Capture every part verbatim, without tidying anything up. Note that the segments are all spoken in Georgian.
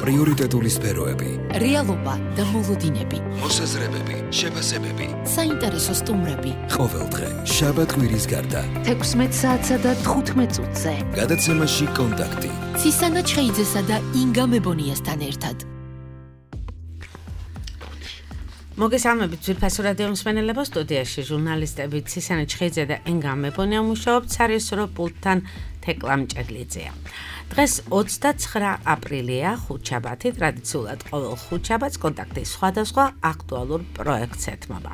პრიორიტეტული სფეროები, რეალობა და მოლოდინები, მოსაზრებები, შეფასებები, საინტერესო სტუმრები. ყოველდღე შაბათ-კვირის გარდა თექვსმეტ საათსა და თხუთმეტ წუთზე. გადაცემაში კონტაქტი. ცისანა ჩხეიძესა და ინგა მებონიასთან ერთად. მოგესალმებით ძვირფასო რადიო მსმენელებო, სტუდიაში ჟურნალისტები ცისანა ჩხეიძე და ინგა მებონია მუშაობთ, სარესურო პულტთან თეკლა მჭედლიძეა. დღეს ოცდაცხრა აპრილია, ხუთშაბათი, ტრადიციულად ყოველ ხუთშაბათს კონტაქტის სხვადასხვა აქტუალურ პროექტს ეთმობა.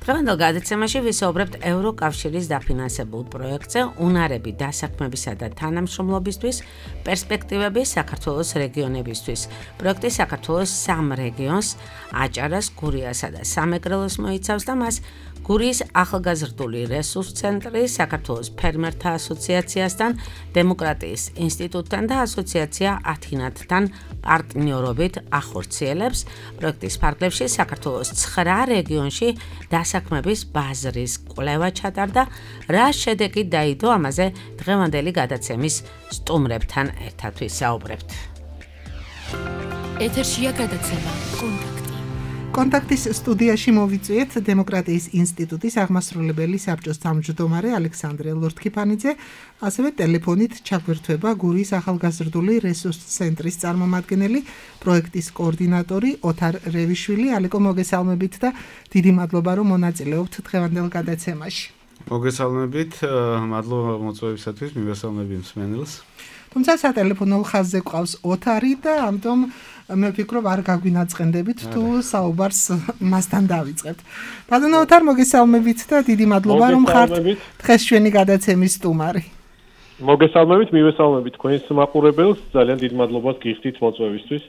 დღევანდელ გადაცემაში ვისაუბრებთ ევროკავშირის დაფინანსებულ პროექტზე, უნარები დასაქმებისა და თანამშრომლობისთვის, პერსპექტივები საქართველოს რეგიონებისთვის. პროექტი საქართველოს სამ რეგიონს, აჭარას, გურიასა და სამეგრელოს მოიცავს და მას გურიის ახალგაზრდული რესურს ცენტრი, საქართველოს ფერმერთა ასოციაციასთან, დემოკრატიის ინსტიტუტთან და ასოციაცია ათინათთან პარტნიორობით ახორციელებს. პროექტის ფარგლებში საქართველოს ცხრა რეგიონში დასაქმების ბაზრის კვლევა ჩატარდა. რა შედეგი დაიდო, ამაზე დღევანდელი გადაცემის სტუმრებთან ერთად ვისაუბრებთ. ეთერშია გადაცემა კონტაქტი. კონტაქტის სტუდიაში მოვიწვიეთ დემოკრატიის ინსტიტუტის აღმასრულებელი საბჭოს თავმჯდომარე ალექსანდრე ლორთქიფანიძე, ასევე ტელეფონით ჩაგვერთვება გურიის ახალგაზრდული რესურს ცენტრის წარმომადგენელი, პროექტის კოორდინატორი ოთარ რევიშვილი. ალეკო, მოგესალმებით და დიდი მადლობა, რომ მონაწილეობთ დღევანდელ გადაცემაში. მოგესალმებით, მადლობა მოწვევისათვის, მივესალმები მსმენელს. თუმცა სატელეფონო ხაზზე ყავს ოთარი და ამიტომ მე ვფიქრობ არ გაგვინაწყენდებით თუ საუბარს მასთან დავიწყებთ. ბატონო ოთარ, მოგესალმებით და დიდი მადლობა რომ ხართ დღეს ჩვენი გადაცემის სტუმარი. მოგესალმებით, მივესალმებით თქვენს მაყურებელს, ძალიან დიდ მადლობას გიხდით მოწვევისთვის.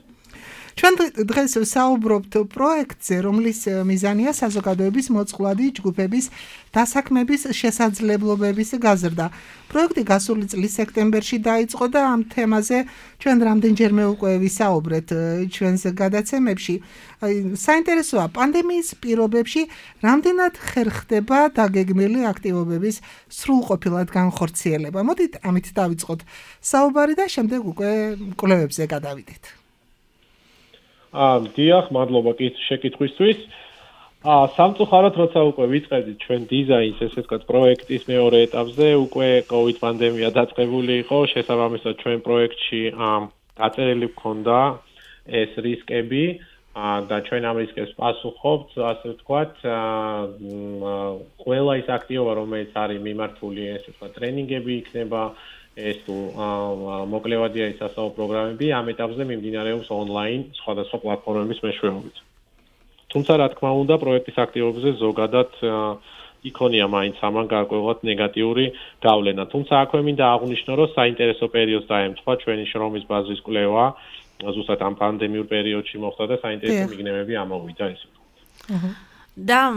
ჩვენ დღეს საუბრობთ პროექტზე, რომლის მიზანია საზოგადოების მოწყვლადი ჯგუფების დასაქმების შესაძლებლობების გაზრდა. პროექტი გასული წლის სექტემბერში დაიწყო და ამ თემაზე ჩვენ რამდენჯერმე უკვე ვისაუბრეთ ჩვენს გადაცემებში. საინტერესოა, პანდემიის პირობებში რამდენად ხერხდება დაგეგმილი აქტივობების სრულყოფილად განხორციელება. მოდით ამით დავიწყოთ საუბარი და შემდეგ უკვე კვლევებზე გადავიდეთ. აა, დიახ, მადლობა შეკითხვისთვის. აა, სამწუხაროდ, როცა უკვე ვიწყებდით ჩვენ დიზაინს, ესე ვთქვათ, პროექტის მეორე ეტაპზე, უკვე COVID პანდემია დაწყებული იყო, შესაბამისად ჩვენ პროექტში აა დაწერილი გქონდა ეს რისკები, აა და ჩვენ ამ რისკებს პასუხობთ, ასე ვთქვათ, აა ყველა ის აქტივობა, რომელიც არის მიმართული, ესე ვთქვათ, ტრენინგები იქნება, ეს თუ მოკლევადია ის ასაო პროგრამები, ამ ეტაპზე მიმდინარეობს ონლაინ სხვადასხვა პლატფორმების მეშვეობით. თუმცა, რა თქმა უნდა, პროექტის აქტივობებზე ზოგადად იქონია მაინც ამან გარკვეულად ნეგატიური გავლენა. თუმცა, აქვე მინდა აღვნიშნო, რომ საინტერესო პერიოდს დაემთხვა ჩვენი შრომის ბაზრის კვლევა, ზუსტად ამ პანდემიურ პერიოდში მოხდა და საინტერესო მიგნებები ამოვიდა, ესე ვთქვათ. და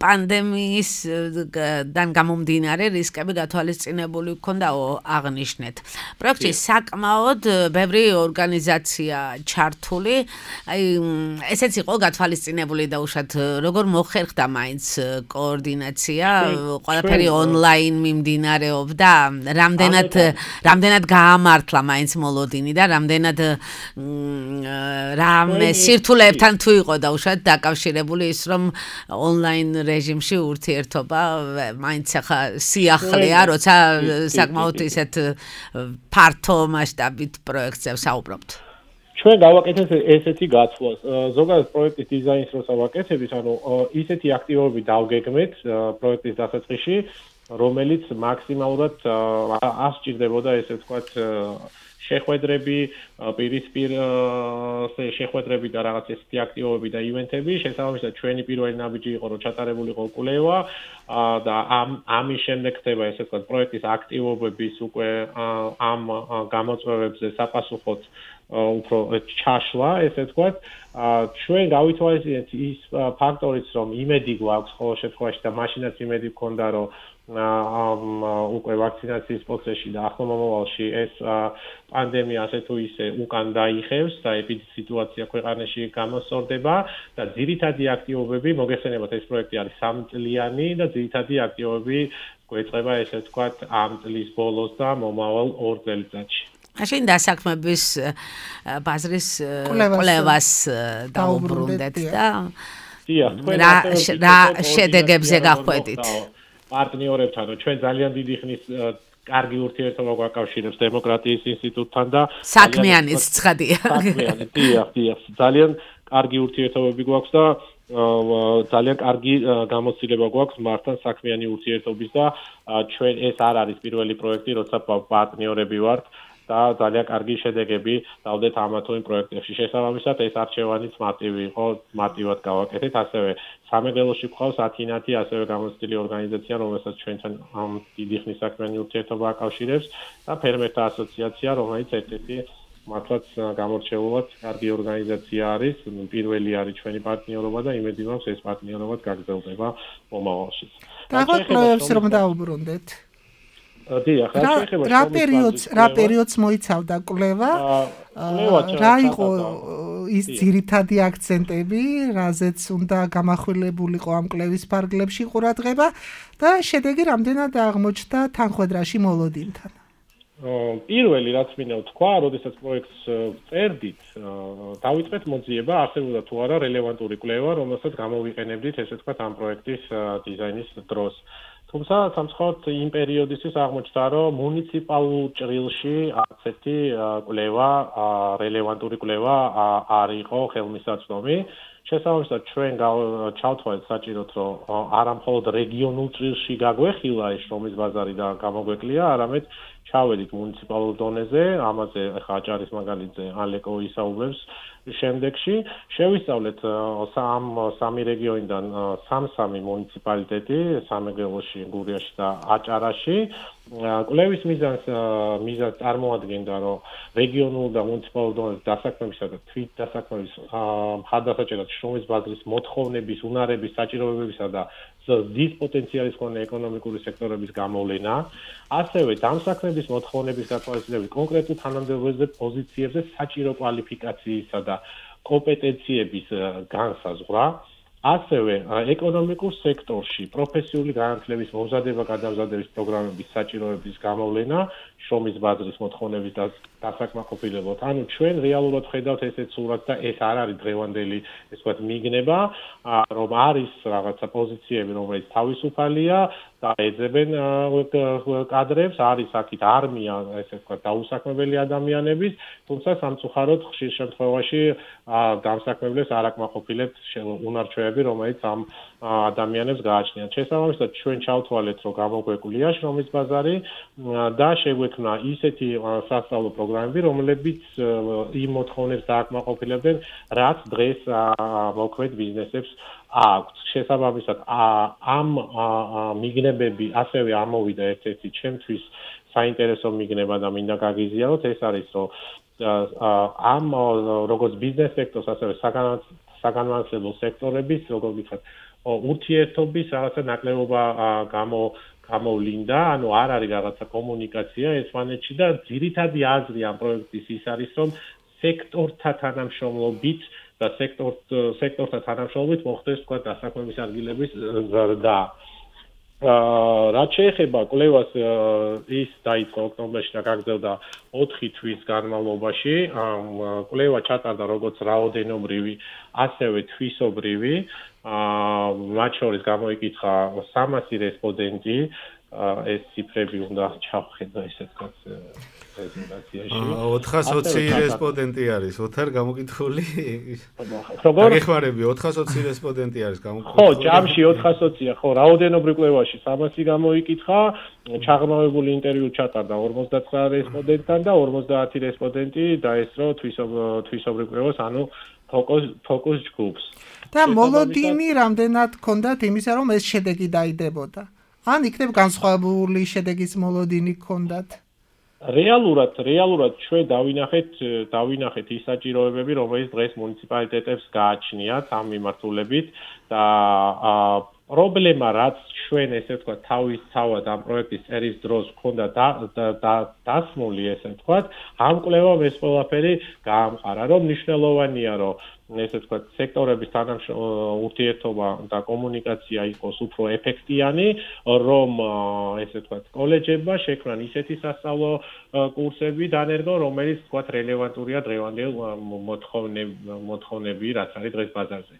პანდემიისგან გამომდინარე რისკები გათვალისწინებული გქონდაო, აღნიშნეთ. პროექტში საკმაოდ ბევრი ორგანიზაცია ჩართული, აი ესეც იყო გათვალისწინებული და უშად როგორ მოხერხდა მაინც კოორდინაცია, ყველაფერი ონლაინ მიმდინარეობდა, რამდენად რამდენად გაამართლა მაინც მოლოდინი და რამდენად რამე სირთულეებთან თუ იყო და უშად დაკავშირებული ის, რომ ონლაინ რეჟიმში ურთიერთობა მაინც ახლა სიახლეა, როცა საკმაოდ ისეთ ფართო მასშტაბით პროექტზე ვსაუბრობთ. ჩვენ გავაკეთეთ ესეთი გაცვლა. ზოგადად პროექტის დიზაინს როცა ვაკეთებით, ანუ ისეთი აქტივობები დავგეგმეთ პროექტის დასაწყისში, რომელიც მაქსიმალურად არ სჭირდებოდა, ესე ვთქვათ, შეხვედრები, პირისპირ შეხვედრები და რაღაც ესეთი აქტივობები და ივენთები, შესაბამისად ჩვენი პირველი ნაბიჯი იყო, რომ ჩატარებულიყო კვლევა და ამ ამის შემდეგ ხდება, ესე ვთქვათ, პროექტის აქტივობების უკვე ამ გამოწვევებზე საპასუხოდ უფრო ჩაშლა, ესე ვთქვათ. ჩვენ გავითვალისწინეთ ის ფაქტორიც, რომ იმედი გვაქვს ყოველ შემთხვევაში და მაშინაც იმედი გქონდა, რომ უკვე ვაქცინაციის პროცესში და ახლო მომავალში ეს პანდემია ასე თუ ისე უკან დაიხევს და ეპიდემიოლოგია ქვეყანაში გამოსწორდება და ძირითადი აქტივობები, მოგეხსენებათ, ეს პროექტი არის სამწლიანი და ძირითადი აქტივობები გვეწყება, ესე ვთქვათ, ამ წლის ბოლოს და მომავალ ორ წელიწადში. მაშინ დასაქმების ბაზრის კვლევას დაუბრუნდეთ და დიახ, თქვენ რა შედეგებზე გახვედით? პარტნიორებთან, ჩვენ ძალიან დიდი ხნის კარგი ურთიერთობა გვაკავშირებს დემოკრატიის ინსტიტუტთან და საქმიანიც ცხადია. საქმიანი, დიახ, დიახ, ძალიან კარგი ურთიერთობები გვაქვს და ძალიან კარგი გამოცდილება გვაქვს მართან საქმიანი ურთიერთობის და ჩვენ ეს არ არის პირველი პროექტი, როცა პარტნიორები ვართ და ძალიან კარგი შედეგები დავდეთ ამა თუ იმ პროექტებში. შესაბამისად, ეს არჩევანიც მარტივი იყო, მარტივად გავაკეთეთ, ასევე სამეგრელოში გვყავს ათინათი ასევე გამოცდილი ორგანიზაცია, რომელსაც ჩვენთან დიდი ხნის საქმიანი ურთიერთობა აკავშირებს და ფერმერთა ასოციაცია, რომელიც ერთ-ერთი მართლაც გამორჩეულად კარგი ორგანიზაცია არის, პირველი არის ჩვენი პარტნიორობა და იმედი მაქვს ეს პარტნიორობა გაგრძელდება მომავალში. და კვლევებს რომ დაუბრუნდეთ. დიახ, რა შეიძლება რა პერიოდს რა პერიოდს მოიცავდა კვლევა? რა იყო ის ძირითადი აქცენტები, რაზეც უნდა გამახვილებულიყო ამ კვლევის ფარგლებში ყურადღება და შედეგი რამდენად აღმოჩნდა თანხმედრაში მოლოდინთან? პირველი რაც მინდა ვთქვა, როდესაც პროექტს წერდით, დავიწყეთ მოძიება, არსებობდა თუ არა რელევანტური კვლევა, რომელსაც გამოვიყენებდით, ესე ვთქვათ, ამ პროექტის დიზაინის დროს. თუმცა სამწუხაროდ იმ პერიოდისთვის აღმოჩნდა, რომ მუნიციპალურ ჭრილში არც ერთი კვლევა, რელევანტური კვლევა არ იყო ხელმისაწვდომი. შესაბამისად, ჩვენ ჩავთვალეთ საჭიროდ, რომ არა მხოლოდ რეგიონულ ჭრილში გაგვეხილა ეს შრომის ბაზარი და გამოგვეკლია, არამედ ჩავედით მუნიციპალურ დონეზე, ამაზე ახლა აჭარის მაგალითზე ალეკო ისაუბრებს შემდეგში, შევისწავლეთ სამ სამი რეგიონიდან სამ-სამი მუნიციპალიტეტი, სამეგრელოში, გურიაში და აჭარაში. კვლევის მიზანს მიზანს წარმოადგენდა, რომ რეგიონულ და მუნიციპალურ დონეზე დასაქმებისა და თვით დასაქმების მხარდასაჭერად შრომის ბაზრის მოთხოვნების, უნარების, საჭიროებებისა და ზრდის პოტენციალის მქონე ეკონომიკური სექტორების გამოვლენა, ასევე დამსაქმების მოთხოვნების გათვალისწინებით კონკრეტულ თანამდებობებზე, პოზიციებზე საჭირო კვალიფიკაციისა და კომპეტენციების განსაზღვრა, ასევე ეკონომიკურ სექტორში პროფესიული განათლების მომზადება, გადამზადების პროგრამების საჭიროების გამოვლენა, შრომის ბაზრის მოთხოვნების და დასაკმაყოფილებლად. ანუ ჩვენ რეალურად ხედავთ ესეთ სურათს და ეს არ არის დღევანდელი, ესე ვთქვათ, მიგნება, რომ არის რაღაცა პოზიციები, რომელიც თავისუფალია და ეძებენ კადრებს, არის აქეთ არმია, ესე ვთქვათ, დაუსაქმებელი ადამიანების, თუმცა სამწუხაროდ ხშირ შემთხვევაში დამსაქმებლებს არ აკმაყოფილებთ უნარჩვევები, რომელიც ამ ადამიანებს გააჩნიათ. შესაბამისად, ჩვენ ჩავთვალეთ, რომ გამოგვეკლია შრომის ბაზარი და შეგვექმნა ისეთი სასწავლო პროგრამები, რომლებიც იმ მოთხოვნებს დააკმაყოფილებდნენ, რაც დღეს მოქმედ ბიზნესებს აქვს. შესაბამისად, ამ მიგნებები ასევე ამოვიდა ერთ-ერთი ჩემთვის საინტერესო მიგნება და მინდა გაგიზიაროთ, ეს არის, რომ ამ როგორც ბიზნეს სექტორს, ასევე საგანმანათლებლო სექტორების, როგორ ვთქვათ, ურთიერთობის რაღაცა ნაკლებობა გამო გამოვლინდა, ანუ არ არის რაღაცა კომუნიკაცია ერთმანეთში და ძირითადი აზრი ამ პროექტის ის არის, რომ სექტორთა თანამშრომლობით და სექტორ სექტორთა თანამშრომლობით მოხდეს თქვა დასაქმების ადგილების ზრდა. რაც შეეხება კვლევას, ის დაიწყო ოქტომბერში და გაგრძელდა ოთხი თვის განმავლობაში. კვლევა ჩატარდა როგორც რაოდენობრივი, ასევე თვისობრივი. მათ შორის გამოიკითხა სამასი რესპონდენტი, ეს ციფრები უნდა ჩავხედო, ესე ვთქვათ, პრეზენტაციაში. ოთხას ოცი რესპონდენტი არის, ოთარ გამოკითხული? როგორ? გეხმარები, ოთხას ოცი რესპონდენტი არის გამოკითხული. ხო, ჯამში ოთხას ოცია, ხო, რაოდენობრივ კვლევაში სამასი გამოიკითხა, ჩაღრმავებული ინტერვიუ ჩატარდა ორმოცდათსა რესპონდენტთან და ორმოცდაათი რესპონდენტი დაესწრო თვისობრივ კვლევას, ანუ ფოკუს ჯგუფს. და მოლოდინი რამდენად ჰქონდათ იმისა, რომ ეს შედეგი დაიდებოდა? ან იქნებ განსხვავებული შედეგის მოლოდინი ჰქონდათ? რეალურად, რეალურად ჩვენ დავინახეთ, დავინახეთ ის საჭიროებები, რომელიც დღეს მუნიციპალიტეტებს გააჩნიათ ამ მიმართულებით და პრობლემა, რაც ჩვენ ესე ვთქვათ, თავის თავად ამ პროექტის წერის დროს ჰქონდა დასმული, ესე ვთქვათ, ამ კვლევამ ეს ყველაფერი გაამყარა, რომ მნიშვნელოვანია, რომ ესე ვთქვათ, სექტორების თანამშრომლობა, ურთიერთობა და კომუნიკაცია იყოს უფრო ეფექტიანი, რომ ესე ვთქვათ, კოლეჯებმა შექმნან ისეთი სასწავლო კურსები დანერგონ, რომელიც ვთქვათ, რელევანტურია დღევანდელ მოთხოვნები, რაც არის დღეს ბაზარზე.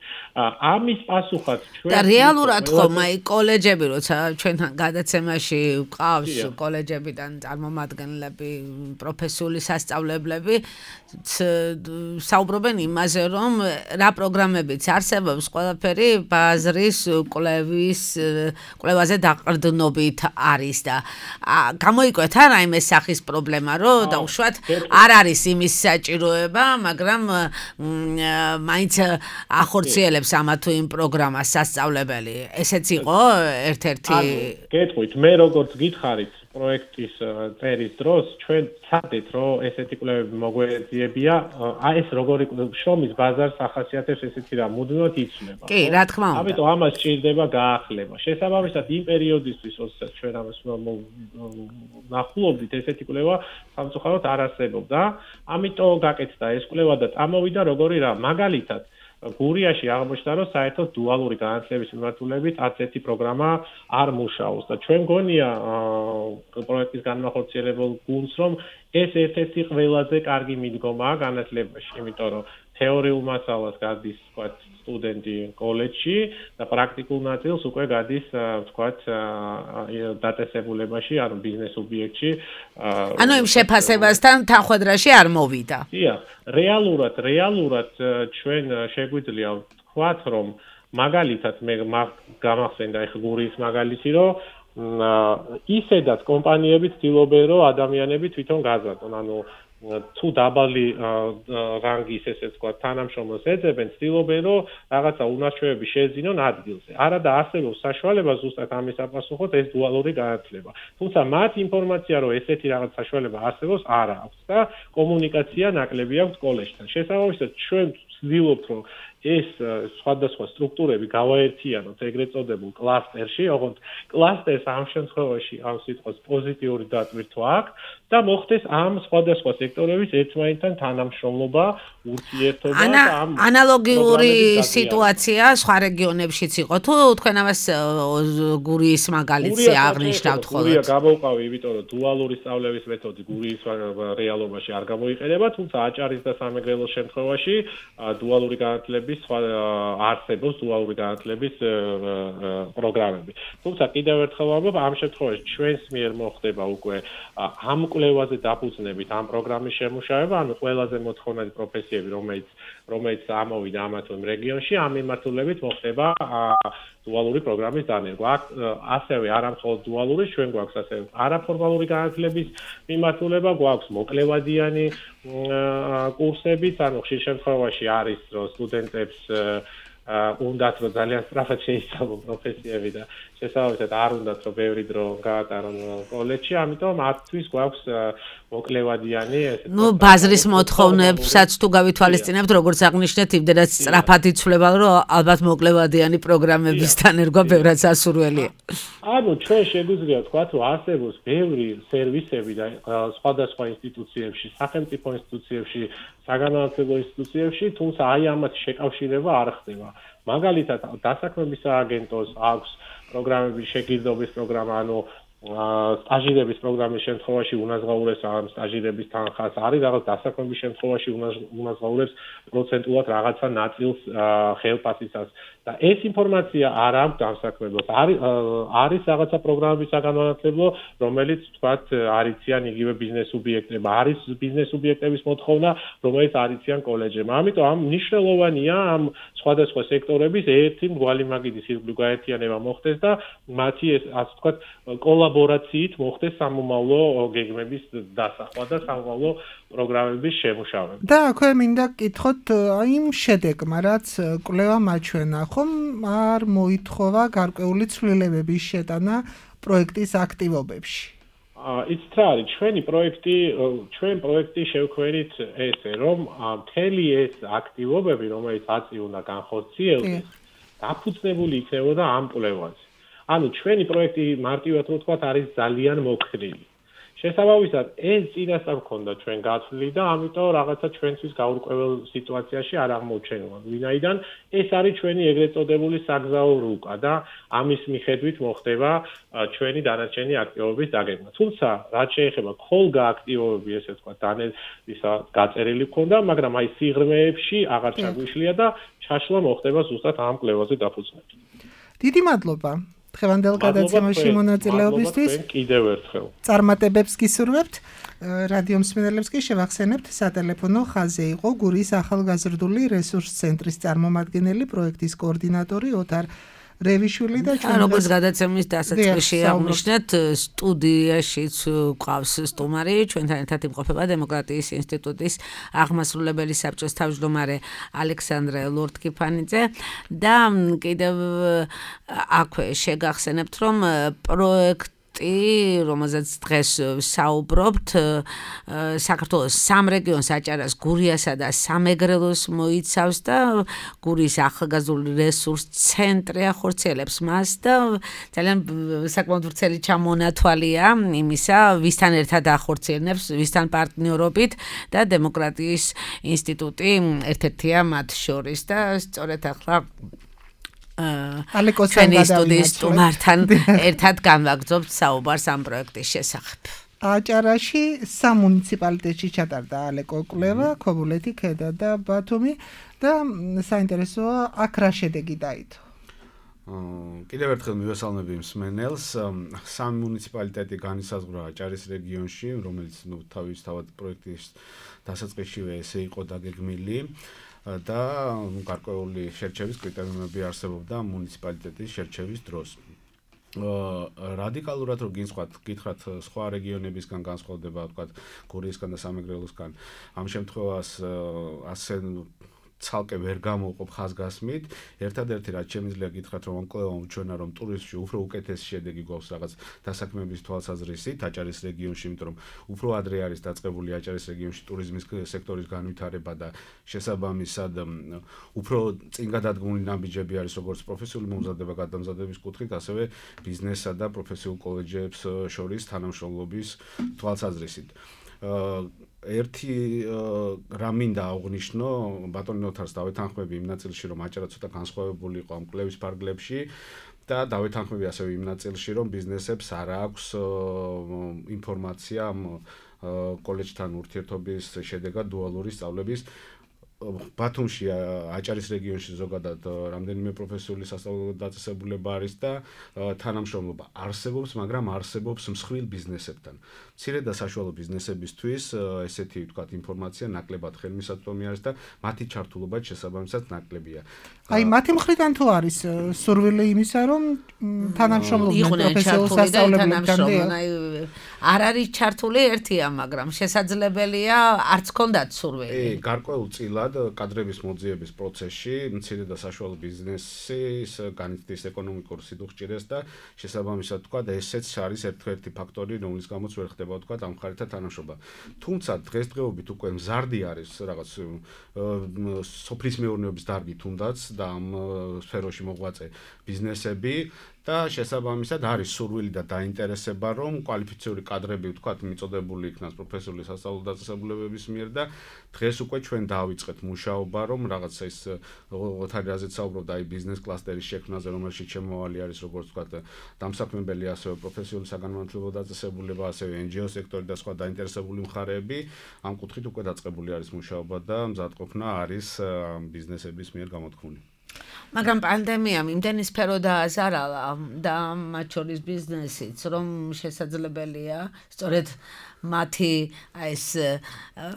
ამის პასუხად ჩვენ და რეალურად ხომ აი კოლეჯები, როცა ჩვენთან გადაცემაში ვყავს კოლეჯებიდან წარმომადგენლები, პროფესიული სასწავლებლები, საუბრობენ იმაზე, რომ რა პროგრამებიც არსებობს, ყველაფერი ბაზრის კვლევის კვლევაზე დაყრდნობით არის და გამოიკვეთ არა იმ სახის პრობლემა, რომ დაუშვათ არ არის იმის საჭიროება, მაგრამ მაინც ახორციელებს ამა თუ იმ პროგრამას სასწავლებელი. ესეც იყო ერთ-ერთი გეტყვით, მე როგორც გითხარით პროექტის წერის დროს ჩვენ ცადეთ, რომ ესეთი კვლევები მოგვეძიებია, აი ეს როგორი შრომის ბაზარს ახასიათებს ესეთი რა მუდმივად იცვლება. კი, რა თქმა უნდა. ამიტომ ამას სჭირდება გაახლება. შესაბამისად იმ პერიოდისთვის, როდესაც ჩვენ ამას ნახულობდით, ესეთი კვლევა სამწუხაროდ არ არსებობდა. ამიტომ გაკეთდა ეს კვლევა და წამოვიდა როგორი რა, მაგალითად გურიაში აღმოჩნდა, რომ საერთოდ დუალური განათლების მიმართულებით არც ერთი პროგრამა არ მუშაობს და ჩვენ გონია პროექტის განმახორციელებელ გუნდს, რომ ეს ერთ-ერთი ყველაზე კარგი მიდგომაა განათლებაში, იმიტომ რომ თეორიულ მასალას გადის, ვთქვათ, სტუდენტი კოლეჯში და პრაქტიკულ ნაწილს უკვე გადის, ვთქვათ, დაწესებულებაში, ანუ ბიზნეს ობიექტში. ანუ იმ შეფასებასთან თანხმდრაში არ მოვიდა. დიახ, რეალურად, რეალურად ჩვენ შეგვიძლია ვთქვათ, რომ მაგალითად მე გამახსენდა ეხლა გურიის მაგალითი, რომ ისედაც კომპანიები ცდილობენ, რომ ადამიანები თვითონ გაზარდონ, ანუ თუ დაბალი რანგის ესე ვთქვათ თანამშრომლებს ეძებენ, ცდილობენ, რომ რაღაცა უნარჩვევები შეეძინონ ადგილზე. არა და არსებობს საშუალება ზუსტად ამის საპასუხოდ ეს დუალური განათლება. თუმცა მათ ინფორმაცია, რომ ესეთი რაღაც საშუალება არსებობს, არ აქვს და კომუნიკაცია ნაკლები აქვს კოლეჯთან. შესაბამისად, ჩვენ ვცდილობთ, რომ ეს სხვადასხვა სტრუქტურები გავაერთიანოთ ეგრეთ წოდებულ კლასტერში, ოღონდ კლასტერს ამ შემთხვევაში ამ სიტყვას პოზიტიური დატვირთვა აქვს და მოხდეს ამ სხვადასხვა სექტორების ერთმანეთთან თანამშრომლობა, ურთიერთობა და ამ ანალოგიური სიტუაცია სხვა რეგიონებშიც იყო თუ თქვენ ამას გურიის მაგალითზე აღნიშნავთ ხოლმე? გურია გამოვყავი, იმიტომ რომ დუალური სწავლების მეთოდი გურიის რეალობაში არ გამოიყენება, თუმცა აჭარის და სამეგრელოს შემთხვევაში დუალური განათლების არსებობს დუალური განათლების პროგრამები. თუმცა კიდევ ერთხელ ვამბობ, ამ შემთხვევაში ჩვენს მიერ მოხდება უკვე ამ კვლევაზე დაფუძნებით ამ პროგრამის შემუშავება, ანუ ყველაზე მოთხოვნადი პროფესიები, რომელიც რომელიც ამოვიდა ამა თუ იმ რეგიონში, ამ მიმართულებით მოხდება დუალური პროგრამის დანერგვა. ასევე არა მხოლოდ დუალური, ჩვენ გვაქვს ასევე არაფორმალური განათლების მიმართულება, გვაქვს მოკლევადიანი კურსებიც, ანუ ხშირ შემთხვევაში არის, რომ სტუდენტებს უნდათ, რომ ძალიან სწრაფად შეისწავლონ პროფესიები და შესაბამისად არ უნდათ, რომ ბევრი დრო გაატარონ კოლეჯში, ამიტომ მათთვის გვაქვს მოკლევადიანი ესე. ნუ ბაზრის მოთხოვნებსაც თუ გავითვალისწინებთ, როგორც აღნიშნეთ, იმდენად სწრაფად იცვლება, რომ ალბათ მოკლევადიანი პროგრამების დანერგვა ბევრად სასურველია. ანუ ჩვენ შეგვიძლია ვთქვათ, რომ არსებობს ბევრი სერვისები და სხვადასხვა ინსტიტუციებში, სახელმწიფო ინსტიტუციებში, საგანმანათლებლო ინსტიტუციებში, თუმცა აი ამათ შეკავშირება არ ხდება. მაგალითად, დასაქმების სააგენტოს აქვს პროგრამების შეგირდობის პროგრამა, ანუ სტაჟირების პროგრამის შემთხვევაში უნაზღაურებს ამ სტაჟირების თანხას, არის რაღაც დასაქმების შემთხვევაში უნაზღაურებს პროცენტულად რაღაცა ნაწილს ხელფასისას და ეს ინფორმაცია არ აქვს დამსაქმებელს. არის არის რაღაცა პროგრამების საგანმანათლებლო, რომელიც თქვათ არიციან იგივე ბიზნეს სუბიექტებმა, არის ბიზნეს სუბიექტების მოთხოვნა, რომელიც არიციან კოლეჯებმა. ამიტომ ამ მნიშვნელოვანია ამ სხვადასხვა სექტორების ერთი მრგვალი მაგიდის ირგვლივ გაერთიანება მოხდეს და მათი ეს ასე ვთქვათ კოლაბორაციით მოხდეს სამომავლო გეგმების დასახვა და სამომავლო პროგრამების შემუშავება. და აქვე მინდა გკითხოთ იმ შედეგმა, რაც კვლევა მაჩვენა, ხომ არ მოითხოვა გარკვეული ცვლილებების შეტანა პროექტის აქტივობებში? იცით რა არის, ჩვენი პროექტი, ჩვენ პროექტი შევქმნით ესე, რომ მთელი ეს აქტივობები, რომელიც აწი უნდა განხორციელდეს, დაფუძნებული იქნებოდა ამ კვლევაზე. ანუ ჩვენი პროექტი მარტივად რო ვთქვათ არის ძალიან მოქნილი. შესაბამისად, ეს წინასწარ გქონდა ჩვენ გაცვლილი და ამიტომ რაღაცა ჩვენთვის გაურკვეველ სიტუაციაში არ აღმოჩენილა. ვინაიდან ეს არის ჩვენი ეგრეთ წოდებული საგზაო რუკა და ამის მიხედვით მოხდება ჩვენი დანარჩენი აქტივობის დაგეგმა. თუმცა, რაც შეეხება ხოლგა აქტივობები, ესე ვთქვა, ისა გაწერილი გქონდა, მაგრამ აი სიღრმეებში აღარ ჩაგვიშლია და ჩაშლა მოხდება ზუსტად ამ კვლევაზე დაფუძნებით. დიდი მადლობა. დღევანდელ გადაცემაში მონაწილეობისთვის კიდევ ერთხელ. წარმატებებს გისურვებთ. რადიო მსმენელებს კი შევახსენებთ, სატელეფონო ხაზი იყო გურიის ახალგაზრდული რესურს ცენტრის წარმომადგენელი, პროექტის კოორდინატორი ოთარ რევიშვილი და ჩვენ როგორც გადაცემის დასაწყისში აღნიშნეთ, სტუდიაშიც ყავს სტუმარი, ჩვენთან ერთად იმყოფება დემოკრატიის ინსტიტუტის აღმასრულებელი საბჭოს თავმჯდომარე ალექსანდრე ლორთქიფანიძე და კიდევ აქვე შეგახსენებთ, რომ პროექტ რომელზეც დღეს საუბრობთ, საქართველოს სამ რეგიონს აჭარას, გურიასა და სამეგრელოს მოიცავს და გურიის ახალგაზრდული რესურს ცენტრი ახორციელებს მას და ძალიან საკმაოდ ვრცელი ჩამონათვალია იმისა, ვისთან ერთად ახორციელებს, ვისთან პარტნიორობით და დემოკრატიის ინსტიტუტი ერთ-ერთია მათ შორის და სწორედ ახლა ჩვენი სტუდიის სტუმართან ერთად განვაგრძობთ საუბარს ამ პროექტის შესახებ. აჭარაში სამ მუნიციპალიტეტში ჩატარდა ალეკო კვლევა, ქობულეთი, ქედა და ბათუმი და საინტერესოა აქ რა შედეგი დაიდო. კიდევ ერთხელ მივესალმები მსმენელს. სამ მუნიციპალიტეტი განისაზღვრა აჭარის რეგიონში, რომელიც ნუ თავისთავად პროექტის დასაწყისშივე ესე იყო დაგეგმილი. და გარკვეული შერჩევის კრიტერიუმები არსებობდა მუნიციპალიტეტის შერჩევის დროს. რადიკალურად რო გინსხვათ, გითხრათ სხვა რეგიონებისგან განსხვავდება, ვთქვათ, გურიისგან და სამეგრელოსგან. ამ შემთხვევას ასე ცალკე ვერ გამოვყოფ ხაზგასმით. ერთადერთი რაც შემიძლია გითხრათ, რომ ამ კვლევამ უჩვენა, რომ ტურიზმში უფრო უკეთესი შედეგი გვაქვს რაღაც დასაქმების თვალსაზრისით აჭარის რეგიონში, იმიტომ რომ უფრო ადრე არის დაწყებული აჭარის რეგიონში ტურიზმის სექტორის განვითარება და შესაბამისად უფრო წინ გადადგმული ნაბიჯები არის როგორც პროფესიული მომზადება გადამზადების კუთხით, ასევე ბიზნესსა და პროფესიულ კოლეჯებს შორის თანამშრომლობის თვალსაზრისით. ერთი რა მინდა აღვნიშნო, ბატონი ოთარს დავეთანხმები იმ ნაწილში, რომ აჭარა ცოტა განსხვავებული იყო ამ კვლევის ფარგლებში და დავეთანხმები ასევე იმ ნაწილში, რომ ბიზნესებს არ აქვს ინფორმაცია ამ კოლეჯთან ურთიერთობის შედეგად დუალური სწავლების. ბათუმში აჭარის რეგიონში ზოგადად რამდენიმე პროფესიული სასწავლებლო დაწესებულება არის და თანამშრომლობა არსებობს, მაგრამ არსებობს მსხვილ ბიზნესებთან. მცირე და საშუალო ბიზნესებისთვის ესეთი ვთქვათ ინფორმაცია ნაკლებად ხელმისაწვდომი არის და მათი ჩართულობა შესაბამისად ნაკლებია. აი მათი მხრიდან თუ არის სურვილი იმისა, რომ თანამშრომლობდნენ პროფესიულ სასწავლებლებთან. არ არის ჩართული ერთია, მაგრამ შესაძლებელია არც ქონდათ სურვილი. გარკვეულწილად კადრების მოძიების პროცესში მცირე და საშუალო ბიზნესის განიცდის ეკონომიკურ სიდუხჭირეს და შესაბამისად თქვა ესეც არის ერთ-ერთი ფაქტორი, რომლის გამოც ვერ ხდება თქვა ამ მხარეთან თანამშრომლობა. თუმცა დღესდღეობით უკვე მზარდი არის რაღაც სოფლის მეურნეობის დარგი თუნდაც და ამ სფეროში მოღვაწე ბიზნესები და შესაბამისად არის სურვილი და დაინტერესება, რომ კვალიფიციური კადრები ვთქვათ მიწოდებული იქნას პროფესიული სასწავლო დაწესებულებების მიერ და დღეს უკვე ჩვენ დავიწყეთ მუშაობა, რომ რაღაცა ის ოთარი რაზეც საუბრობდა, აი ბიზნეს კლასტერის შექმნაზე, რომელშიც შემოვალი არის როგორც ვთქვათ დამსაქმებელი, ასევე პროფესიული საგანმანათლებლო დაწესებულება, ასევე εν ჯი ო სექტორი და სხვა დაინტერესებული მხარეები. ამ კუთხით უკვე დაწყებული არის მუშაობა და მზადყოფნა არის ბიზნესების მიერ გამოთქმული. მაგრამ პანდემიამ იმდენი სფერო დააზარალა და მათ შორის ბიზნესიც, რომ შესაძლებელია სწორედ მათი ეს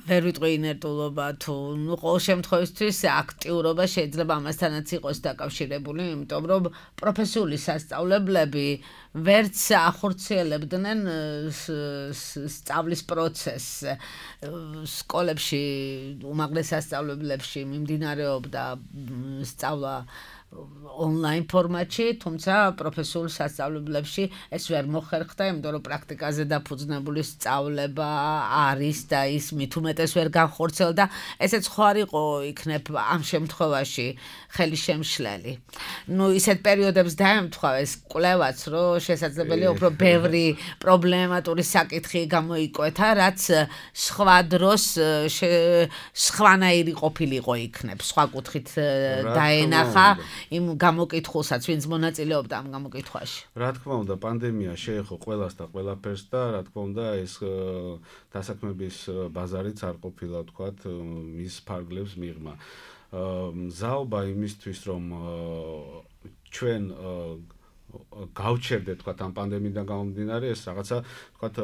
ვერ ვიტყვი ინერტულობა თუ ნუ ყოველ შემთხვევისთვის აქტიურობა შეიძლება ამასთანაც იყოს დაკავშირებული, იმიტომ რომ პროფესიული სასწავლებლები ვერც ახორციელებდნენ სწავლის პროცესს. სკოლებში, უმაღლეს სასწავლებლებში მიმდინარეობდა სწავლა ონლაინ ფორმატში, თუმცა პროფესიულ სასწავლებლებში ეს ვერ მოხერხდა, იმიტომ რომ პრაქტიკაზე დაფუძნებული სწავლება არის და ის მით უმეტეს ვერ განხორციელდა. ესეც ხო არ იყო იქნებ ამ შემთხვევაში ხელისშემშლელი. ნუ ისეთ პერიოდებს დაემთხვა ეს კვლევაც, რომ შესაძლებელია უფრო ბევრი პრობლემატური საკითხი გამოიკვეთა, რაც სხვა დროს სხვანაირი ყოფილიყო იქნებ, სხვა კუთხით დაენახა იმ გამოკითხულსაც, ვინც მონაწილეობდა ამ გამოკითხვაში. რა თქმა უნდა, პანდემია შეეხო ყველას და ყველაფერს და რა თქმა უნდა, ეს დასაქმების ბაზარიც არ ყოფილა, თქვათ, მის ფარგლებს მიღმა. მზაობა იმისთვის, რომ ჩვენ გავჩერდეთ, თქვათ, ამ პანდემიიდან გამომდინარე, ეს რაღაცა, თქვათ,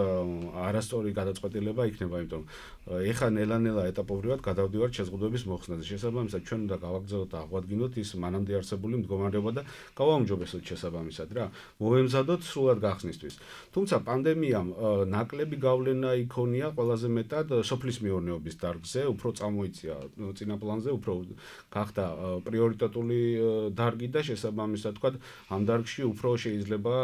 არასწორი გადაწყვეტილება იქნება, იმიტომ ეხლა ნელა-ნელა ეტაპობრივად გადავდივართ შეზღუდვების მოხსნაზე. შესაბამისად, ჩვენ უნდა გავაგრძელოთ და აღვადგინოთ ის მანამდე არსებული მდგომარეობა და გავაუმჯობესოთ შესაბამისად რა. მოვემზადოთ სრულად გახსნისთვის. თუმცა პანდემიამ ნაკლები გავლენა იქონია ყველაზე მეტად სოფლის მეურნეობის დარგზე, უფრო წამოიწია წინა პლანზე, უფრო გახდა პრიორიტეტული დარგი და შესაბამისად, თქვათ, ამ დარგში უფრო შეიძლება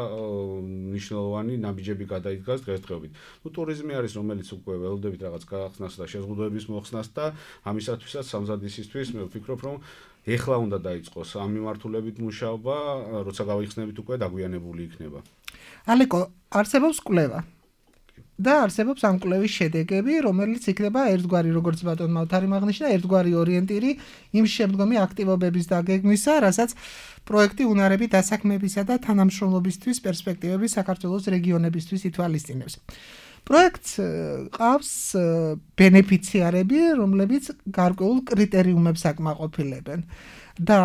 მნიშვნელოვანი ნაბიჯები გადაიდგას დღესდღეობით. ნუ ტურიზმი არის, რომელიც უკვე ველოდებით რაღაც გახსნას და შეზღუდვების მოხსნას და ამისათვისაც სამზადისისთვის მე ვფიქრობ, რომ ეხლა უნდა დაიწყოს ამ მიმართულებით მუშაობა, როცა გავიხსნებით უკვე დაგვიანებული იქნება. ალეკო, არსებობს კვლევა და არსებობს ამ კვლევის შედეგები, რომელიც იქნება ერთგვარი, როგორც ბატონმა ოთარიმ აღნიშნა, ერთგვარი ორიენტირი იმ შემდგომი აქტივობების დაგეგმვისა, რასაც პროექტი უნარები დასაქმებისა და თანამშრომლობისთვის პერსპექტივები საქართველოს რეგიონებისთვის ითვალისწინებს. პროექტს ყავს ბენეფიციარები, რომლებიც გარკვეულ კრიტერიუმებს აკმაყოფილებენ. და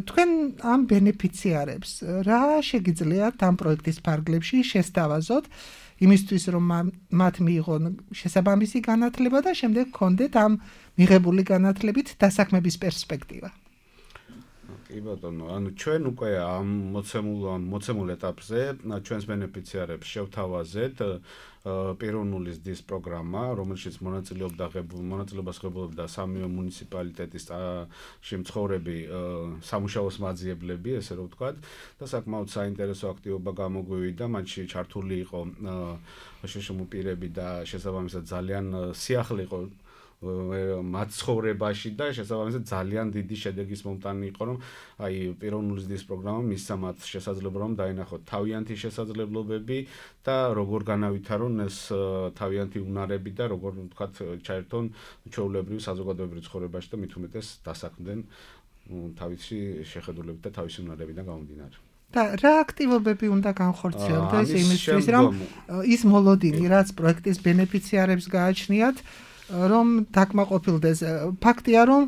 თქვენ ამ ბენეფიციარებს რა შეგიძლიათ ამ პროექტის ფარგლებში შესთავაზოთ, იმისთვის რომ მათ მიიღონ შესაბამისი განათლება და შემდეგ გქონდეთ ამ მიღებული განათლებით დასაქმების პერსპექტივა. კი ბატონო, ანუ ჩვენ უკვე ამ მოცემულ მოცემულ ეტაპზე ჩვენს ბენეფიციარებს შევთავაზეთ პიროვნული ზრდის პროგრამა, რომელშიც მონაწილეობდა მონაწილეობას ღებულობდა სამი მუნიციპალიტეტის შემცხოვრები სამუშაოს მაძიებლები, ესე რომ ვთქვათ, და საკმაოდ საინტერესო აქტივობა გამოგვივიდა, მათში ჩართული იყო შეშმო პირები და შესაბამისად ძალიან სიახლე იყო მათ ცხოვრებაში და შესაბამისად ძალიან დიდი შედეგის მომტანი იყო, რომ აი პიროვნული ზრდის პროგრამა მისცა მათ შესაძლებლობა რომ დაენახოთ თავიანთი შესაძლებლობები და როგორ განავითარონ ეს თავიანთი უნარები და როგორ ვთქვათ ჩაერთონ ჩვეულებრივ საზოგადოებრივ ცხოვრებაში და მით უმეტეს დასაქმდნენ თავისი შეხედულებით და თავისი უნარებიდან გამომდინარე. და რა აქტივობები უნდა განხორციელდეს იმისთვის, რომ ის მოლოდინი, რაც პროექტის ბენეფიციარებს გააჩნიათ, რომ დაკმაყოფილდეს. ფაქტია, რომ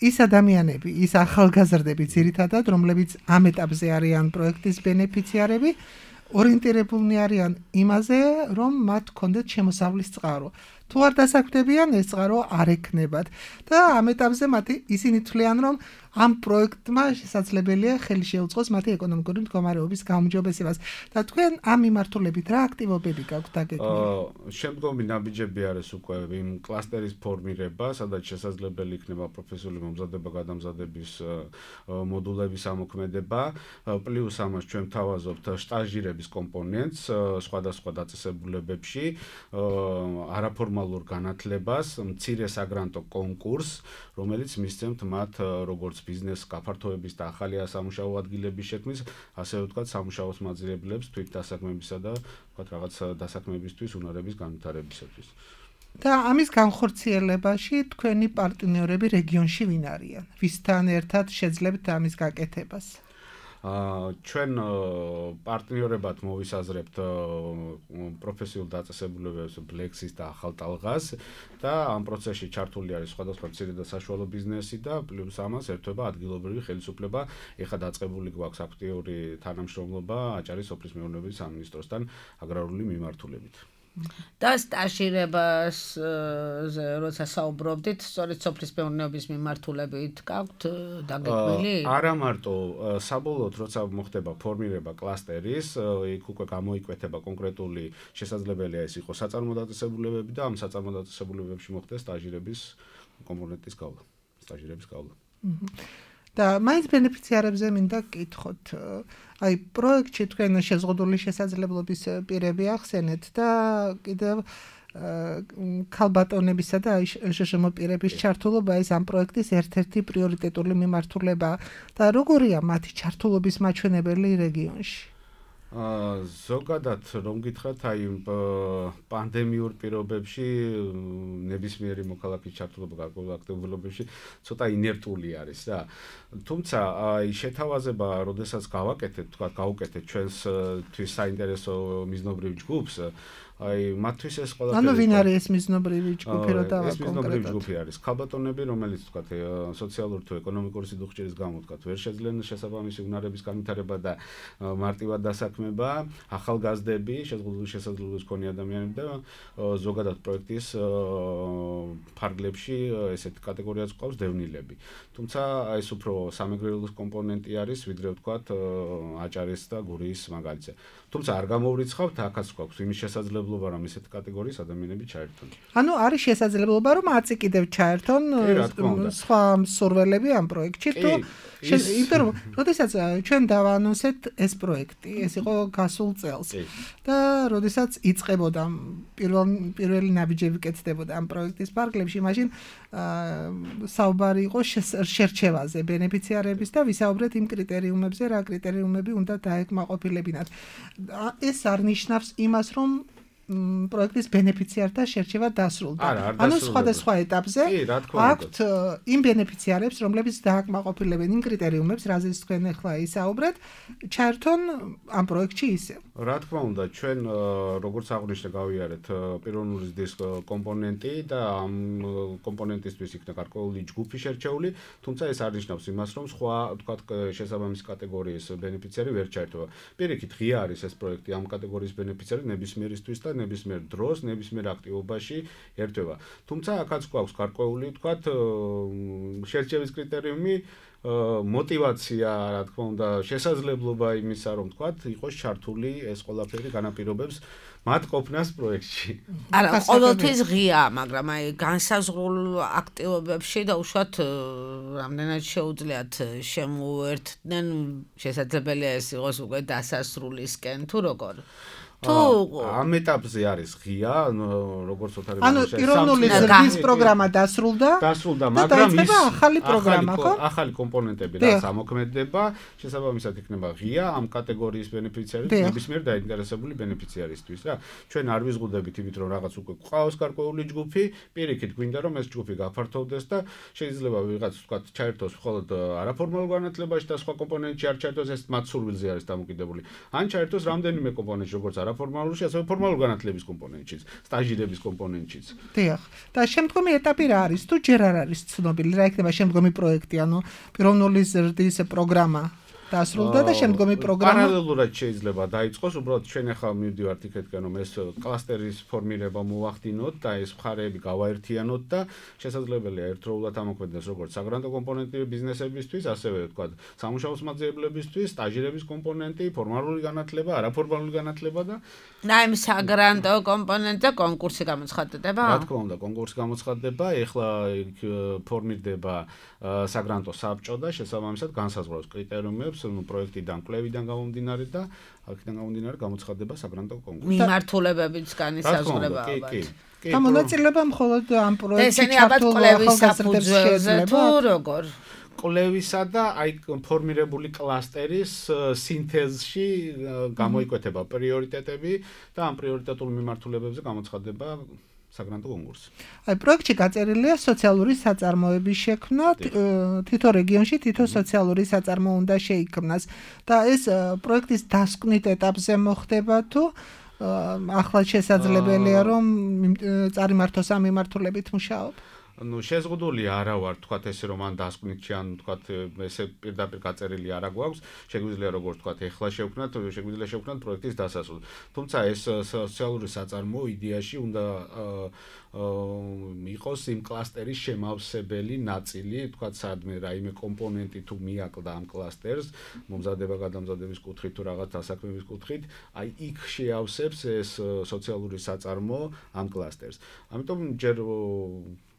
ის ადამიანები, ის ახალგაზრდები ძირითადად, რომლებიც ამ ეტაპზე არიან პროექტის ბენეფიციარები, ორიენტირებულნი არიან იმაზე, რომ მათ ჰქონდეთ შემოსავლის წყარო. თუ არ დასაქმდებიან, ეს წყარო არ ექნებათ. და ამ ეტაპზე მათი ისინი თვლიან, რომ ამ პროექტმა შესაძლებელია ხელი შეუწყოს მათი ეკონომიკური მდგომარეობის გაუმჯობესებას. და თქვენ ამ მიმართულებით რა აქტივობები გაქვთ დაგეგმილი? შემდგომი ნაბიჯები არის უკვე იმ კლასტერის ფორმირება, სადაც შესაძლებელი იქნება პროფესიული მომზადება, გადამზადების მოდულების ამოქმედება, პლუს ამას ჩვენ ვთავაზობთ სტაჟირების კომპონენტს სხვადასხვა დაწესებულებებში, არაფორმალურ განათლებას, მცირე საგრანტო კონკურსს, რომელიც მისცემთ მათ როგორც ბიზნეს გაფართოების და ახალი სამუშაო ადგილების შექმნის, ასევე ვთქვათ, სამუშაოს მაძიებლებს თვით დასაქმებისა და ვთქვათ, რაღაც დასაქმებისთვის უნარების განვითარებისათვის. და ამის განხორციელებაში თქვენი პარტნიორები რეგიონში ვინ არიან? ვისთან ერთად შეძლებთ ამის გაკეთებას? ჩვენ პარტნიორებად მოვისაზრებთ პროფესიულ დაწესებულებებს ბლექსის და ახალ ტალღას და ამ პროცესში ჩართული არის სხვადასხვა მცირე და საშუალო ბიზნესი და პლუს ამას ერთვება ადგილობრივი ხელისუფლება. ეხლა დაწყებული გვაქვს აქტიური თანამშრომლობა აჭარის სოფლის მეურნეობის სამინისტროსთან აგრარული მიმართულებით. და სტაჟირებას როცა საუბრობდით, სწორედ სოფლის მეურნეობის მიმართულებით გაქვთ დაგეგმილი? არა მარტო, საბოლოოდ როცა მოხდება ფორმირება კლასტერის, იქ უკვე გამოიკვეთება კონკრეტული შესაძლებელია ეს იყოს საწარმო დაწესებულებები და ამ საწარმო დაწესებულებებში მოხდეს სტაჟირების კომპონენტის გავლა, სტაჟირების გავლა. და მაინც ბენეფიციარებზე მინდა გკითხოთ. აი პროექტში თქვენ შეზღუდული შესაძლებლობის პირები ახსენეთ და კიდევ ქალბატონებისა და შშმ პირების ჩართულობა ეს ამ პროექტის ერთ-ერთი პრიორიტეტული მიმართულება და როგორია მათი ჩართულობის მაჩვენებელი რეგიონში? ზოგადად რომ გითხრათ, აი პანდემიურ პირობებში ნებისმიერი მოქალაქის ჩართულობა გარკვეულ აქტივობებში ცოტა ინერტული არის რა. თუმცა აი შეთავაზება, როდესაც გავაკეთეთ, თქვა გავუკეთეთ ჩვენს თვის საინტერესო მიზნობრივ ჯგუფს, აი მათთვის ეს ყველაფერი ანუ ვინ არის ეს მიზნობრივი ჯგუფი რა დავა კონკრეტულად? ეს მიზნობრივი ჯგუფი არის ქალბატონები, რომელიც თქვა სოციალური თუ ეკონომიკური სიდუხჭერის გამო თქვა ვერ შეძლენ შესაბამისი უნარების განვითარება და მარტივად დასაქმება, ახალგაზრდები, შეზღუდული შესაძლებლობის მქონე ადამიანები და ზოგადად პროექტის ფარგლებში ესეთი კატეგორიაც ყავს დევნილები. თუმცა ეს უფრო სამეგრელოს კომპონენტი არის, ვიდრე ვთქვათ აჭარის და გურიის მაგალითზე. თუმცა არ გამოვრიცხავთ, აქაც გვაქვს იმის შესაძლებლობა, რომ ესეთი კატეგორიის ადამიანები ჩაერთონ. ანუ არის შესაძლებლობა, რომ აწი კიდევ ჩაერთონ სხვა მსურველები ამ პროექტში თუ იმიტომ რომ როდესაც ჩვენ დავაანონსეთ ეს პროექტი, ეს იყო გასულ წელს და როდესაც იწყებოდა პირველ პირველი ნაბიჯები კეთდებოდა ამ პროექტის ფარგლებში, მაშინ საუბარი იყო შერჩევაზე ბენეფიციარების და ვისაუბრეთ იმ კრიტერიუმებზე, რა კრიტერიუმები უნდა დაეკმაყოფილებინათ. ეს არ ნიშნავს იმას, რომ პროექტის ბენეფიციართა შერჩევა დასრულდა. ანუ სხვადასხვა ეტაპზე აქვთ იმ ბენეფიციარებს, რომლებიც დააკმაყოფილებენ იმ კრიტერიუმებს, რაზეც თქვენ ახლა ისაუბრეთ, ჩაერთონ ამ პროექტში ისევ. რა თქმა უნდა, ჩვენ როგორც აღნიშნე გავიარეთ პიროვნული ზრდის კომპონენტი და ამ კომპონენტისთვის იქნა გარკვეული ჯგუფი შერჩეული, თუმცა ეს არ ნიშნავს იმას, რომ სხვა, ვთქვათ, შესაბამისი კატეგორიის ბენეფიციარი ვერ ჩაერთვება. პირიქით, ღია არის ეს პროექტი ამ კატეგორიის ბენეფიციარი ნებისმიერისთვის და ნებისმიერ დროს, ნებისმიერ აქტივობაში ერთვება. თუმცა აქაც გვაქვს გარკვეული, ვთქვათ, შერჩევის კრიტერიუმი, мотивация, რა თქმა უნდა, შესაძლებლობა იმისა, რომ ვთქვათ, იყოს ჩართული ეს ყველაფერი განაპირობებს მათ ყოფნას პროექტში. არა, ყოველთვის ღია, მაგრამ აი განსაზღვრულ აქტივობებში და უშუალოდ რამდენად შეუძლიათ შემოერთდნენ, შესაძლებელია ეს იყოს უკვე დასასრულისკენ თუ როგორ. თუ ამ ეტაპზე არის ღია, როგორც ოთარი ანუ პიროვნული ზრდის პროგრამა დასრულდა. დასრულდა, მაგრამ ის ახალი პროგრამა, ხო? ახალი კომპონენტები რაც ამოქმედება, შესაბამისად იქნება ღია ამ კატეგორიის ბენეფიციარის, ნებისმიერ დაინტერესებული ბენეფიციარისთვის რა. ჩვენ არ ვიზღუდებით იმით, რომ რაღაც უკვე ყავს გარკვეული ჯგუფი, პირიქით გვინდა რომ ეს ჯგუფი გაფართოვდეს და შეიძლება ვიღაც ვთქვათ ჩაერთოს მხოლოდ არაფორმალურ განათლებაში და სხვა კომპონენტში არ ჩაერთოს, ეს მათ სურვილზე არის დამოკიდებული. ან ჩაერთოს რამდენიმე კომპონენტში, როგორც არაფორმალურში, ასევე ფორმალურ განათლების კომპონენტშიც, სტაჟირების კომპონენტშიც. დიახ. და შემდგომი ეტაპი რა არის? თუ ჯერ არ არის ცნობილი, რა იქნება შემდგომი პროექტი, ანუ პიროვნული ზრდის პროგრამა დასრულდა და შემდგომი პროგრამა პარალელურად შეიძლება დაიწყოს, უბრალოდ ჩვენ ახლა მივდივართ იქეთკენ, რომ ეს კლასტერის ფორმირება მოვახდინოთ და ეს მხარეები გავაერთიანოთ და შესაძლებელია ერთდროულად ამოქმედდეს როგორც საგრანტო კომპონენტი ბიზნესებისთვის, ასევე ვთქვათ, სამუშაო მასწავლებლებისთვის, სტაჟირების კომპონენტი, ფორმალური განათლება, არაფორმალური განათლება და აი ამ საგრანტო კომპონენტზე კონკურსი გამოცხადდება? რა თქმა უნდა, კონკურსი გამოცხადდება, ეხლა ფორმირდება საგრანტო საბჭო და შესაბამისად განსაზღვრავს კრიტერიუმებს პროექტიდან, კვლევიდან გამომდინარე და აქედან გამომდინარე გამოცხადდება საგრანტო კონკურსი. მიმართულებებიც განისაზღვრება ალბათ. და მონაწილეობა მხოლოდ ამ პროექტში ჩართულ ახალგაზრდებს შეიძლება თუ როგორ? კვლევისა და აი ფორმირებული კლასტერის სინთეზში გამოიკვეთება პრიორიტეტები და ამ პრიორიტეტულ მიმართულებებზე გამოცხადდება საგრანტო კონკურსი. აი პროექტში გაწერილია სოციალური საწარმოების შექმნა, თითო რეგიონში თითო სოციალური საწარმო უნდა შეიქმნას და ეს პროექტის დასკვნით ეტაპზე მოხდება თუ ახლა შესაძლებელია რომ წარიმართოს ამ მიმართულებით მუშაობ? ну შეზღუდული არა ვარ თქვათ ესე რომ ან დასკვნითში ან თქვათ ესე პირდაპირ გაწერილი არა გვაქვს შეგვიძლია როგორც თქვათ ეხლა შევქნათ შეგვიძლია შევქნათ პროექტის დასასრულს თუმცა ეს სოციალური საწარმო იდეაში უნდა იყოს იმ კლასტერის შემავსებელი ნაწილი თქვათ სადმე რაიმე კომპონენტი თუ მიაკლდა ამ კლასტერს მომზადება გადამზადების კუთხით თუ რაღაც დასაქმების კუთხით აი იქ შეავსებს ეს სოციალური საწარმო ამ კლასტერს ამიტომ ჯერ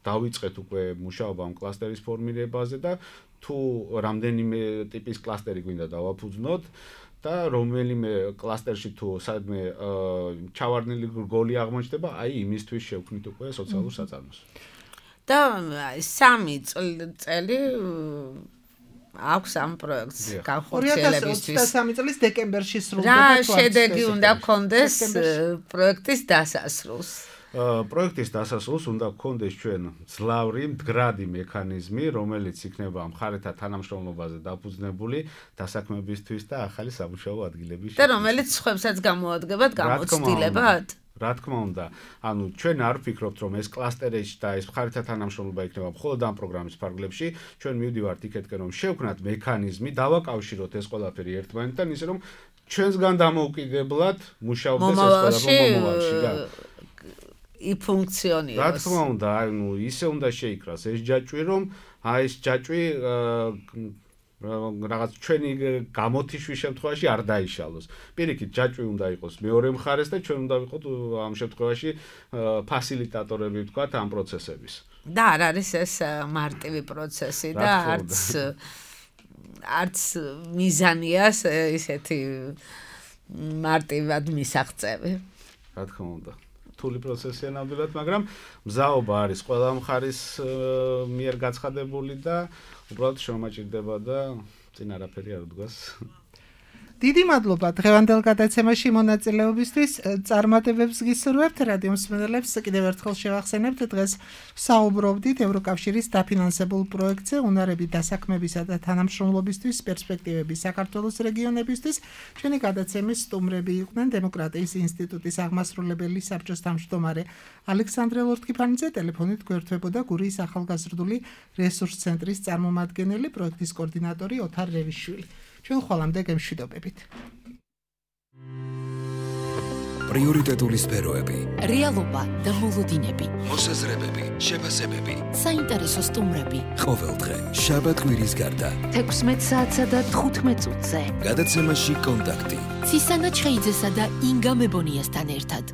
დავიწყეთ უკვე მუშაობა ამ კლასტერის ფორმირებაზე და თუ რამდენიმე ტიპის კლასტერი გვინდა დავაფუძნოთ და რომელიმე კლასტერში თუ სადმე ჩავარდნილი გოლი აღმოჩნდება, აი იმისთვის შევქმნით უკვე სოციალურ საწარმოს. და სამი წელი აქვს ამ პროექტს ორი ათას განხორციელებისთვის. ოცდამეტი წლის დეკემბერში სრულდება. რა შედეგი უნდა გქონდეს პროექტის დასასრულს? პროექტის დასასრულს უნდა გქონდეს ჩვენ ძლავრი მდგრადი მექანიზმი, რომელიც იქნება მხარეთა თანამშრომლობაზე დაფუძნებული დასაქმებისთვის და ახალი სამუშაო ადგილების და რომელიც სხვებსაც გამოადგებათ გამოცდილებად? რა თქმა უნდა, ანუ ჩვენ არ ვფიქრობთ, რომ ეს კლასტერებში და ეს მხარეთა თანამშრომლობა იქნება მხოლოდ ამ პროგრამის ფარგლებში, ჩვენ მივდივართ იქეთკენ, რომ შევქმნათ მექანიზმი, დავაკავშიროთ ეს ყველაფერი ერთმანეთთან, ისე რომ ჩვენსგან დამოუკიდებლად მუშაობდეს ეს ყველაფერი მომავალში, რა. იფუნქციონიროს. რა თქმა უნდა, ანუ ისე უნდა შეიკრას ეს ჯაჭვი, რომ აი ეს ჯაჭვი რაღაც ჩვენი გამოთიშვის შემთხვევაში არ დაიშალოს. პირიქით, ჯაჭვი უნდა იყოს მეორე მხარეს და ჩვენ უნდა ვიყოთ ამ შემთხვევაში ფასილიტატორები ვთქვათ ამ პროცესების. და არ არის ეს მარტივი პროცესი და არც არც მიზანია ისეთი მარტივად მისაღწევი. რა თქმა უნდა. რთული პროცესია ნამდვილად, მაგრამ მზაობა არის ყველა მხარის მიერ გაცხადებული და უბრალოდ შემოჭირდება და წინ არაფერი არ დგას. დიდი მადლობა დღევანდელ გადაცემაში მონაწილეობისთვის. წარმატებებს გისურვებთ რადიო მსმენელებს. კიდევ ერთხელ შევახსენებთ, დღეს საუბრობდით ევროკავშირის დაფინანსებულ პროექტზე უნარები დასაქმებისა და თანამშრომლობისთვის, პერსპექტივები საქართველოს რეგიონებისთვის. ჩვენი გადაცემის სტუმრები იყვნენ დემოკრატიის ინსტიტუტის აღმასრულებელი საბჭოს თავმჯდომარე ალექსანდრე ლორთქიფანიძე, ტელეფონით გვერდთვებოდა გურიის ახალგაზრდული რესურს ცენტრის წარმომადგენელი, პროექტის კოორდინატორი ოთარ რევიშვილი. ჩვენ ხოლმე გემშვიდობებით. პრიორიტეტული სფეროები, რეალობა და მოლოდინები, მოსაზრებები, შეფასებები, საინტერესო სტუმრები. ყოველდღე შაბათ კვირის გარდა თექვსმეტ საათსა და თხუთმეტ წუთზე. გადაცემაში კონტაქტი. ცისანა ჩხეიძესა და ინგა მებონიასთან ერთად.